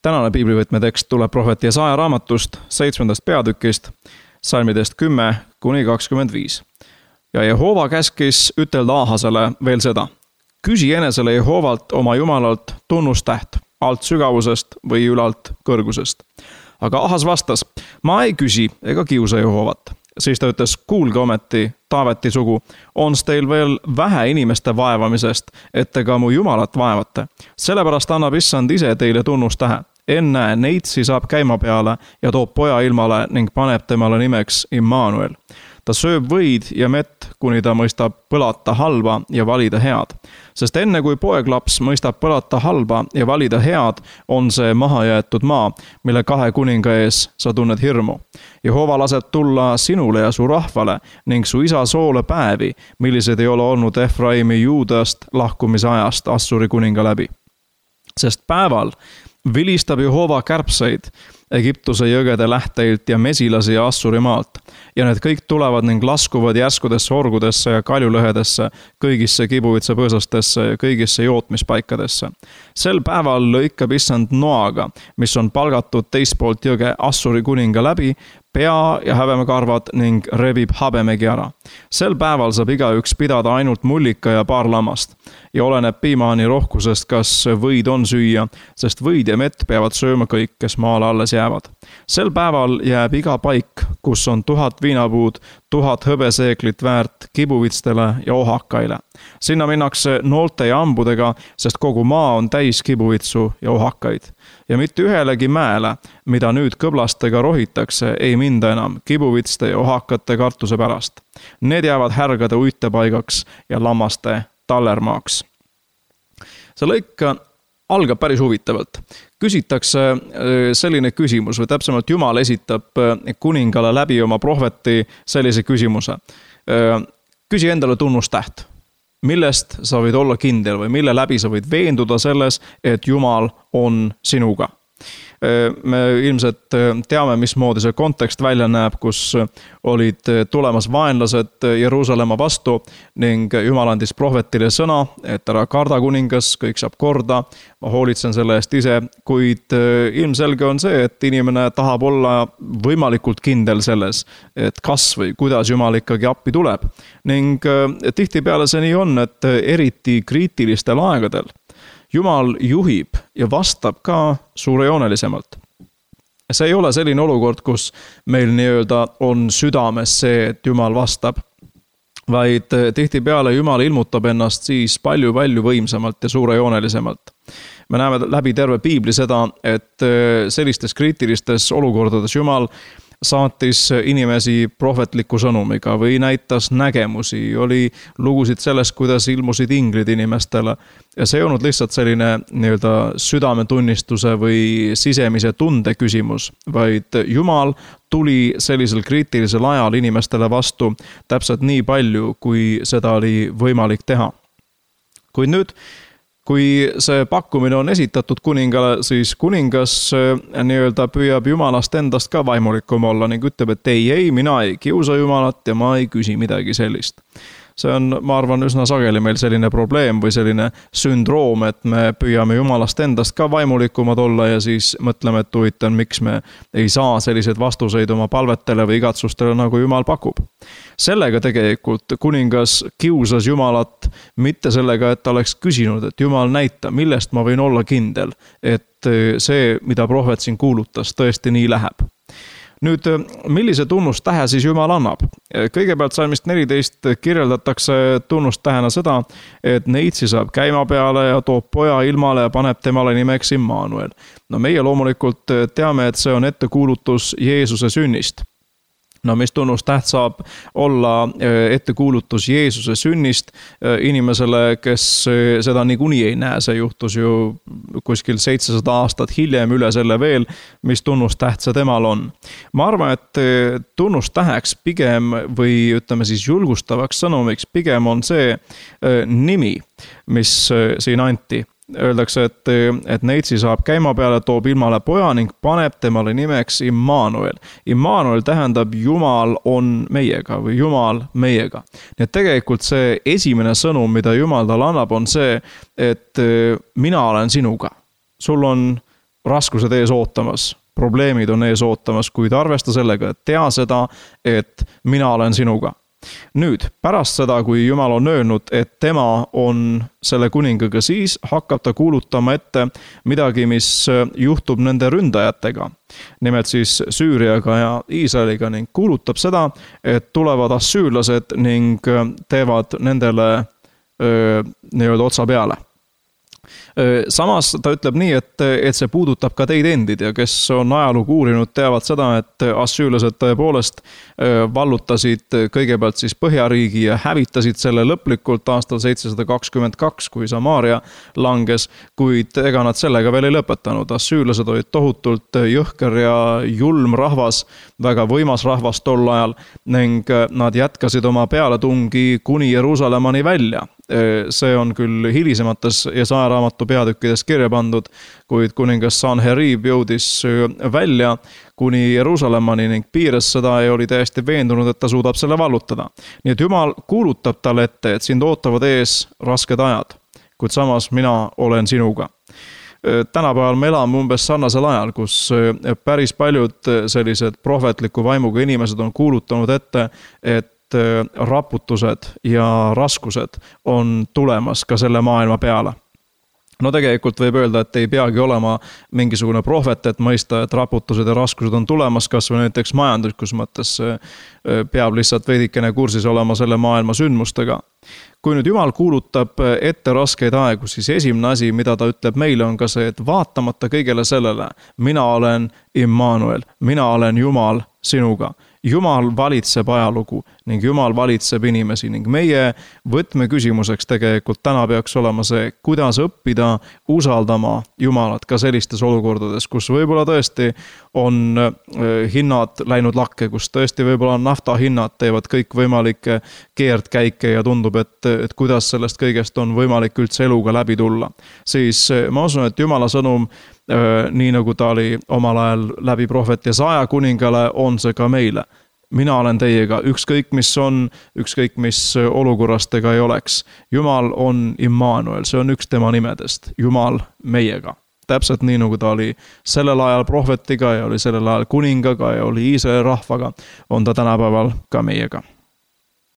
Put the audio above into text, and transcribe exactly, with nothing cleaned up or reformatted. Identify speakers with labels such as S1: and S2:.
S1: Tänane piiblivõtmetekst tuleb prohvet Jesaja raamatust seitsmendast peatükist, salmidest kümme kuni kakskümmend viis. Ja Jehova käskis ütelda Ahasele veel seda. Küsi enesele Jehovalt oma Jumalalt tunnustäht alt sügavusest või ülalt kõrgusest. Aga Ahas vastas, ma ei küsi ega kiusa Jehovat. Siis ta ütles, kuulge ometi, Taaveti sugu, on teil veel vähe inimeste vaevamisest, et te ka mu Jumalat vaevate. Sellepärast annab issand ise teile tunnustähe. Enne neitsi saab käima peale ja toob poja ilmale ning paneb temale nimeks Immanuel. Ta sööb võid ja mett, kuni ta mõistab põlata halba ja valida head. Sest enne kui poeglaps mõistab põlata halba ja valida head, on see maha jäetud maa, mille kahe kuninga ees sa tunned hirmu. Jehova laseb tulla sinule ja su rahvale ning su isa soole päevi, millised ei ole olnud Efraimi Juudast lahkumise ajast Assuri kuninga läbi. Sest päeval vilistab Jehova kärbseid Egiptuse jõgede lähteilt ja mesilasi ja Assuri maalt. Ja need kõik tulevad ning laskuvad järskudesse orgudesse ja kaljulõhedesse, kõigisse kibuvitsa põõsastesse ja kõigisse jootmispaikadesse. Sel päeval lõikab issand noaga, mis on palgatud teistpoolt jõge Assuri kuninga läbi, pea ja häbemekarvad ning rebib habemegi ära. Sel päeval saab igaüks pidada ainult mullika ja paar lammast. Ja oleneb piimaani rohkusest, kas võid on süüa, sest võid ja mett peavad sööma kõik, kes maale alles jäävad. Sel päeval jääb iga paik, kus on tuhat viinapuud, tuhat hõbeseeklit väärt kibuvitstele ja ohakaile. Sinna minnakse noolte ja ambudega, sest kogu maa on täis kibuvitsu ja ohakaid. Ja mitte ühelegi mäele, mida nüüd kõblastega rohitakse, ei minda enam kibuvitste ja ohakate kartuse pärast. Need jäävad härgade uitepaigaks ja lammaste tallermaaks. See lõik algab päris huvitavalt. Küsitakse selline küsimus või täpsemalt Jumal esitab kuningale läbi oma prohveti sellise küsimuse. Küsi endale tunnustäht. Millest sa võid olla kindel või mille läbi sa võid veenduda selles, et Jumal on sinuga? Me ilmselt teame, mismoodi see kontekst välja näeb, kus olid tulemas vaenlased Jeruusalemma vastu ning Jumal andis prohvetile sõna, et ära karda kuningas, kõik saab korda, ma hoolitsen selle eest ise, kuid ilmselge on see, et inimene tahab olla võimalikult kindel selles, et kas või kuidas Jumal ikkagi appi tuleb. Ning tihtipeale see nii on, et eriti kriitilistel aegadel Jumal juhib ja vastab ka suurejoonelisemalt. See ei ole selline olukord, kus meil nii-öelda on südames see, et Jumal vastab, vaid tihtipeale Jumal ilmutab ennast siis palju-palju võimsamalt ja suurejoonelisemalt. Me näeme läbi terve piibli seda, et sellistes kriitilistes olukordades Jumal saatis inimesi prohvetliku sõnumiga või näitas nägemusi, oli lugusid sellest, kuidas ilmusid inglid inimestele. Ja see ei olnud lihtsalt selline nii-öelda südametunnistuse või sisemise tunde küsimus, vaid Jumal tuli sellisel kriitilisel ajal inimestele vastu täpselt nii palju, kui seda oli võimalik teha. Kuid nüüd, kui see pakkumine on esitatud kuningale, siis kuningas nii-öelda püüab Jumalast endast ka vaimulikum olla ning ütleb, et ei, ei, mina ei kiusa Jumalat ja ma ei küsi midagi sellist. See on, ma arvan, üsna sageli meil selline probleem või selline sündroom, et me püüame Jumalast endast ka vaimulikumad olla ja siis mõtleme, et huvitav, miks me ei saa selliseid vastuseid oma palvetele või igatsustele, nagu Jumal pakub. Sellega tegelikult kuningas kiusas Jumalat mitte sellega, et ta oleks küsinud, et Jumal näita, millest ma võin olla kindel, et see, mida prohvet siin kuulutas, tõesti nii läheb. Nüüd, millise tunnustähe siis Jumal annab? Kõigepealt salmist neliteist kirjeldatakse tunnustähena seda, et neitsi saab käima peale ja toob poja ilmale ja paneb temale nimeks Immanuel. No meie loomulikult teame, et see on ettekuulutus Jeesuse sünnist. No mis tunnustäht saab olla ettekuulutus Jeesuse sünnist inimesele, kes seda niikuinii ei näe. See juhtus ju kuskil seitsesada aastat hiljem üle selle veel, mis tunnustäht see temal on. Ma arvan, et tunnustäheks pigem või ütleme siis julgustavaks sõnumiks pigem on see nimi, mis siin anti. Öeldakse, et, et neitsi saab käima peale, toob ilmale poja ning paneb temale nimeks Immanuel. Immanuel tähendab Jumal on meiega või Jumal meiega. Nii et tegelikult see esimene sõnum, mida Jumal tal annab, on see, et mina olen sinuga. Sul on raskused ees ootamas, probleemid on ees ootamas, kuid arvesta sellega, et tea seda, et mina olen sinuga. Nüüd, pärast seda, kui Jumal on öelnud, et tema on selle kuningaga, siis hakkab ta kuulutama ette midagi, mis juhtub nende ründajatega. Nimelt siis Süüriaga ja Iisraeliga ning kuulutab seda, et tulevad assüürlased ning teevad nendele öö, nii-öelda otsa peale. Samas ta ütleb nii, et, et see puudutab ka teid endid ja kes on ajalugu uurinud, teavad seda, et assüürlased tõepoolest vallutasid kõigepealt siis Põhjariigi ja hävitasid selle lõplikult aastal seitsesada kakskümmend kaks, kui Samaaria langes, kuid ega nad sellega veel ei lõpetanud. Assüürlased olid tohutult jõhker ja julm rahvas, väga võimas rahvas tol ajal ning nad jätkasid oma pealetungi kuni Jeruusalemmani välja. See on küll hilisemates Jesaja raamatu peatükkides kirja pandud, kuid kuningas Sanherib jõudis välja kuni Jeruusalemmani ning piires seda ja oli täiesti veendunud, et ta suudab selle vallutada. Nii et Jumal kuulutab talle ette, et sind ootavad ees rasked ajad, kuid samas mina olen sinuga. Tänapäeval me elame umbes sarnasel ajal, kus päris paljud sellised prohvetliku vaimuga inimesed on kuulutanud ette, et raputused ja raskused on tulemas ka selle maailma peale. No tegelikult võib öelda, et ei peagi olema mingisugune prohvet, et mõista, et raputused ja raskused on tulemas, kas või näiteks majanduslikus mõttes peab lihtsalt veidikene kursis olema selle maailma sündmustega. Kui nüüd Jumal kuulutab ette raskeid aegu, siis esimene asi, mida ta ütleb meile, on ka see, et vaatamata kõigele sellele, mina olen Immanuel, mina olen Jumal sinuga. Jumal valitseb ajalugu ning Jumal valitseb inimesi ning meie võtmeküsimuseks tegelikult täna peaks olema see, kuidas õppida usaldama Jumalat ka sellistes olukordades, kus võib-olla tõesti on hinnad läinud lakke, kus tõesti võib-olla naftahinnad teevad kõik võimalikke keerdkäike ja tundub, et, et kuidas sellest kõigest on võimalik üldse eluga läbi tulla. Siis ma usun, et Jumala sõnum, nii nagu ta oli omal ajal läbi prohvet Jesaja kuningale, on see ka meile. Mina olen teiega, ükskõik mis on, ükskõik mis olukorrast ega ei oleks. Jumal on Immanuel, see on üks tema nimedest, Jumal meiega. Täpselt nii nagu ta oli sellel ajal prohvetiga ja oli sellel ajal kuningaga ja oli Iisraeli rahvaga, on ta tänapäeval ka meiega.